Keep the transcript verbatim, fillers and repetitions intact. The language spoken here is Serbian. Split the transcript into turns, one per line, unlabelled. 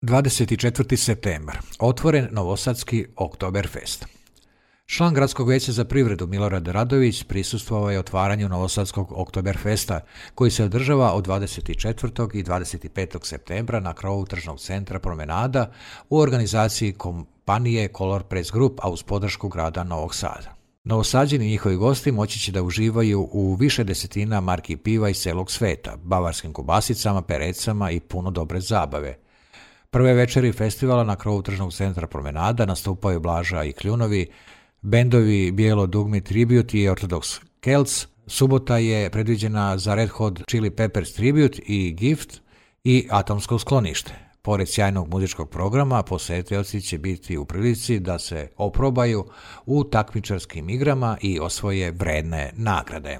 dvadeset četvrti septembar. Otvoren Novosadski Oktoberfest. Član Gradskog vijeća za privredu Milorad Radović prisustvovao je otvaranju Novosadskog Oktoberfesta, koji se održava od dvadeset četvrtog i dvadeset petog septembra na krovu tržnog centra Promenada u organizaciji kompanije Color Press Group, a uz podršku grada Novog Sada. Novosađeni i njihovi gosti moći će da uživaju u više desetina marki piva iz celog sveta, bavarskim kobasicama, perecama i puno dobre zabave. Prve večeri festivala na krovu tržnog centra Promenada nastupaju Blaža i Kljunovi, bendovi Bijelo dugme Tribute i Orthodox Celts. Subota je predviđena za Red Hot Chili Peppers Tribute i Gift i Atomsko sklonište. Pored sjajnog muzičkog programa, posetioci će biti u prilici da se oprobaju u takmičarskim igrama i osvoje vredne nagrade.